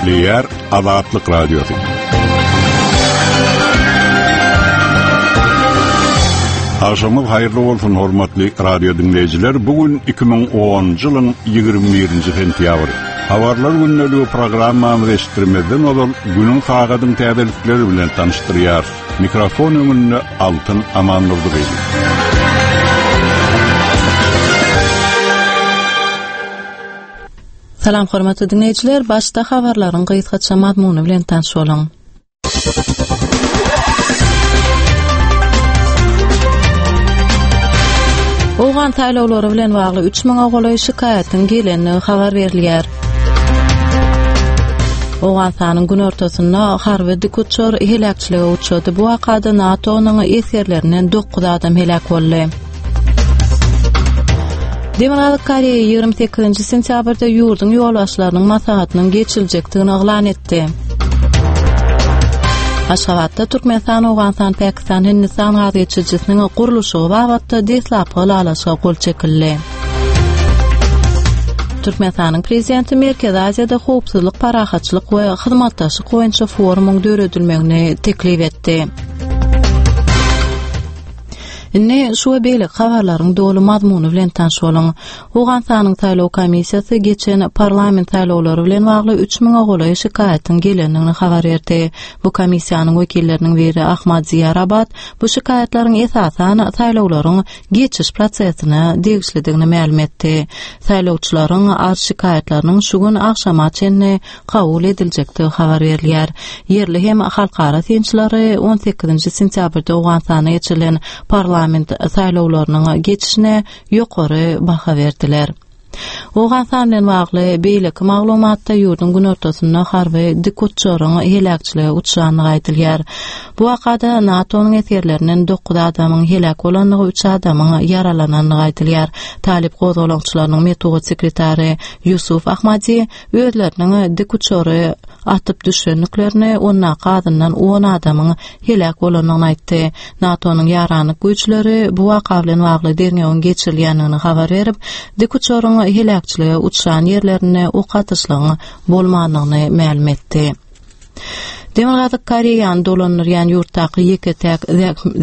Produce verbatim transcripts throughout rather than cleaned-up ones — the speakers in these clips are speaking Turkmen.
Gepleýär Azatlyk Radiosy. Agşamyňyz haýyrly bolsun hormatly radio dinleýjiler. Bu gün iki müň onunjy ýylyň ýigrimi birinji sentýabry. Habarlar gündeligi programmamyzy eşitdirmezden ozal günüň sagadyň täzelikleri bilen tanyşdyrýar. Mikrofon öňünde Altyn Amandurdy. Salam hormatly dinleýjiler, başda habarlaryň gysgaça mazmuny bilen tanyş boluň. Owgan saýlawlary bilen bagly üç müňe golaý şikaýatyň gelenligi habar berilýär. Owganystanyň günortasynda harby dikuçar heläkçilige uçrady. Bu wakada NATO-nyň esgerlerinden dokuz adam heläk boldy. Demirgazyk Koreýa ýigrimi sekizinji sentýabrda ýurduň ýolbaşçylarynyň maslahatynyň geçiriljekdigini yglan etdi. Aşgabatda Türkmenistan, Owganystan, Pakistan, Hindistan gaz geçirijisiniň gurluşygy babatda deslapky ylalaşyga gol çekildi. Türkmenistanyň prezidenti Merkezi Aziýada howpsuzlyk, parahatçylyk we hyzmatdaşlyk boýunça forumyň döredilmegini teklip etdi. Indi şu we beýleki habarlaryň doly mazmuny bilen tanyş boluň. Owganystanyň saýlaw komissiýasy geçen parlament saýlawlary bilen bagly üç müňe golaý şikaýatyň gelendigini habar berdi. Bu komissiýanyň wekilleriniň biri Ahmad Ziýarabat bu şikaýatlaryň esasan saýlawlaryň geçiş prosesine degişlidigini mälim etdi. Saýlawçylaryň arz şikaýatlarynyň şu gün agşama çenli kabul ediljekdigi habar berilýär. Ýerli hem halkara synçylary on sekizinji sentýabrda Owganystanda geçirilen parlament saýlawlarynyň geçişine ýokary baha berdiler. Owganystan bilen bagly beýleki maglumatda ýurduň günortasynda harby dikuçaryň heläkçilige uçrandygy aýdylýar. Bu wakada NATO-nyň esgerlerinden dokuz adamyň heläk bolandygy, üç adamyň ýaralanandygy aýdylýar. Talip gozgalaňçylarynyň metbugat sekretary Ýusuf Ahmadi özleriniň dikuçary atyp düşendiklerini, ondaky azyndan on adamyň heläk bolandygyny aýtdy. NATO-nyň ýaranlyk güýçleri bu waka bilen bagly derňewiň geçirilýändigini habar berip, dikuçaryň heläkçilige uçran ýerlerinde ok atyşlygyň bolmandygyny mälim etdi. Demirgazyk Koreýany dolandyrýan ýurtdaky ýeke-täk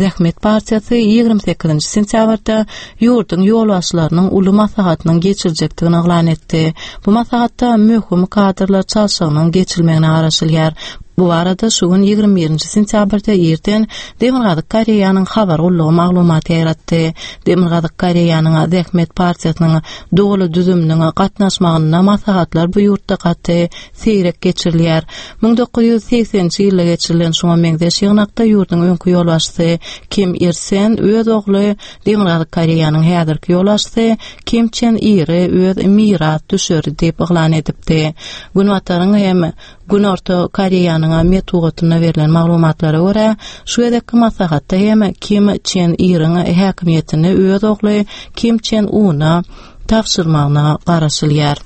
zähmet partiýasy ýigrimi sekizinji sentýabrda ýurduň ýolbaşçylarynyň uly maslahatynyň geçiriljekdigini yglan etdi. Bu maslahatda möhüm kadrlar çalşygynyň geçirilmegine garaşylýar. Bu barada şu gün ýigrimi birinji sentýabrda irden Demirgazyk Koreýanyň habar gullugy maglumat ýaýratdy. Demirgazyk Koreýanyň zähmet partiýasynyň doly düzüminiň gatnaşmagynda maslahatlar bu ýurtda gaty seýrek geçirilýär. Müň dokuz ýüz segseninji ýylda geçirilen şuňa meňzeş ýygnakda ýurduň öňki ýolbaşçysy Kim Ir Sen öz ogly Demirgazyk Koreýanyň häzirki ýolbaşçysy Kim Çen Iri öz miras düşeri diýip yglan edipdi. Günbataryň hem Günorta Koreýanyň metbugatynda berlen maglumatlara görä, şu gezekki maslahatda hem Kim Çen Iriň häkimiýetini öz ogly Kim Çen Una tabşyrmagyna garaşylýar.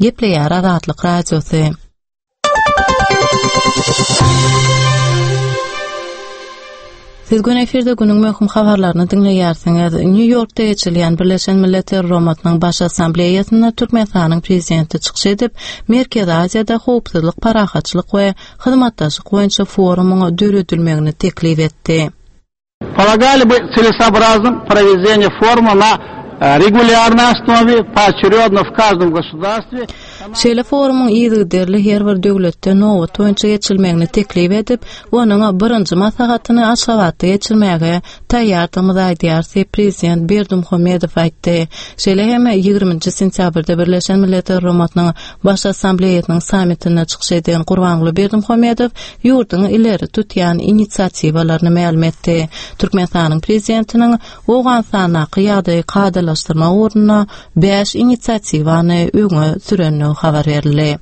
Gepleýär Azatlyk Radiosy. Siz gün efirde günüň möhüm habarlaryny diňleýärsiňiz. Nýu-Ýorkda geçirilýän Birleşen Milletler Guramasynyň Baş Assambleýasynda Türkmenistanyň prezidenti çykyş edip, Merkezi Aziýada howpsuzlyk, parahatçylyk we hyzmatdaşlyk boýunça forumyň döredilmegini teklip etdi. Полагали бы целесообразным проведение форума на регулярной основе, поочередно в каждом государстве. Şeýle forumyň yzygiderli her bir döwletde nobat boýunça geçirilmegini teklip edip, onuň birinji maslahatyny Aşgabatda geçirmäge taýýardygymyzy aýdýar, diýip prezident Berdimuhamedow aýtdy. Şeýle hem ýigriminji sentýabrda Birleşen Milletler Guramasynyň Baş Assambleýasynyň sammitinde çykyş eden Gurbanguly Berdimuhamedow ýurduň ileri tutýan inisiatiwalaryny mälim etdi. Türkmenistanyň prezidentiniň Owganystandaky ýagdaýy kadalaşdyrmak ugrunda bäş inisiatiwany öňe sürendigi habar berildi.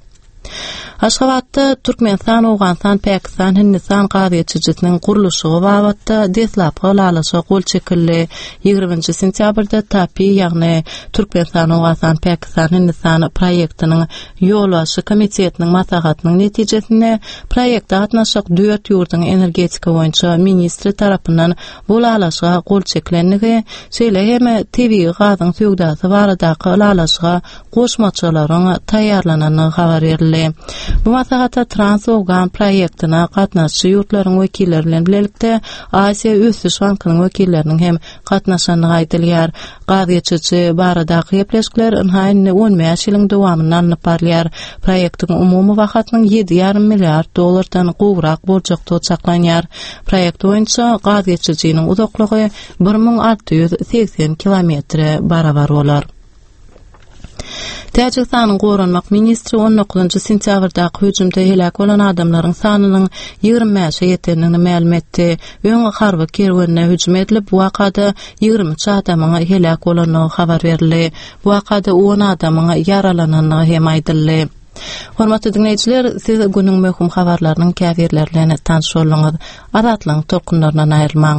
Aşgabatda Türkmenistan, Owganystan, Pakistan, Hindistan gaz geçirijisiniň gurluşygy babatda deslapky ylalaşyga gol çekildi. Ýigriminji sentýabrda TAPI, ýagny Türkmenistan, Owganystan, Pakistan, Hindistan proýektiniň ýolbaşçy komitetiniň maslahatynyň netijesinde proýekte gatnaşjak dört ýurduň energetika boýunça ministri tarapyndan bu ylalaşyga gol çekilendigi, şeýle hem tebigy gazyň söwdasy baradaky ylalaşyga goşmaçalaryň taýýarlanandygy habar berildi. Bu maslahata Trans-Owgan proýektine gatnaşyjy ýurtlaryň wekilleri bilen bilelikde Aziýa Ösüş bankynyň wekilleriniň hem gatnaşandygy aýdylýar. Gaz geçiriji baradaky gepleşikler ynha indi on bäş ýylyň dowamynda alnyp barylýar. Proýektiň umumy bahasynyň ýedi ýarym milliard dollardan gowrak boljakdygy çaklanýar. Proýekt boýunça gaz geçirijiniň uzaklygy bir müň alty ýüz segsen kilometre barabar bolar. Täjigistanyň goranmak ministri on dokuzynjy sentýabrdaky hüjümde heläk bolan adamlaryň sanynyň ýigrimi bäşe ýetendigini mälim etdi. Öň harby kerwenine hüjüm edilip, bu wakada ýigrimi üç adamyň heläk bolandygy habar berildi. Bu wakada on adamyň ýaralanandygy hem aýdyldy. Hormatly diňleýjiler, siz günüň möhüm habarlarynyň käbirleri bilen tanyş bolduňyz. Azatlygyň tolkunlaryndan aýrylmaň.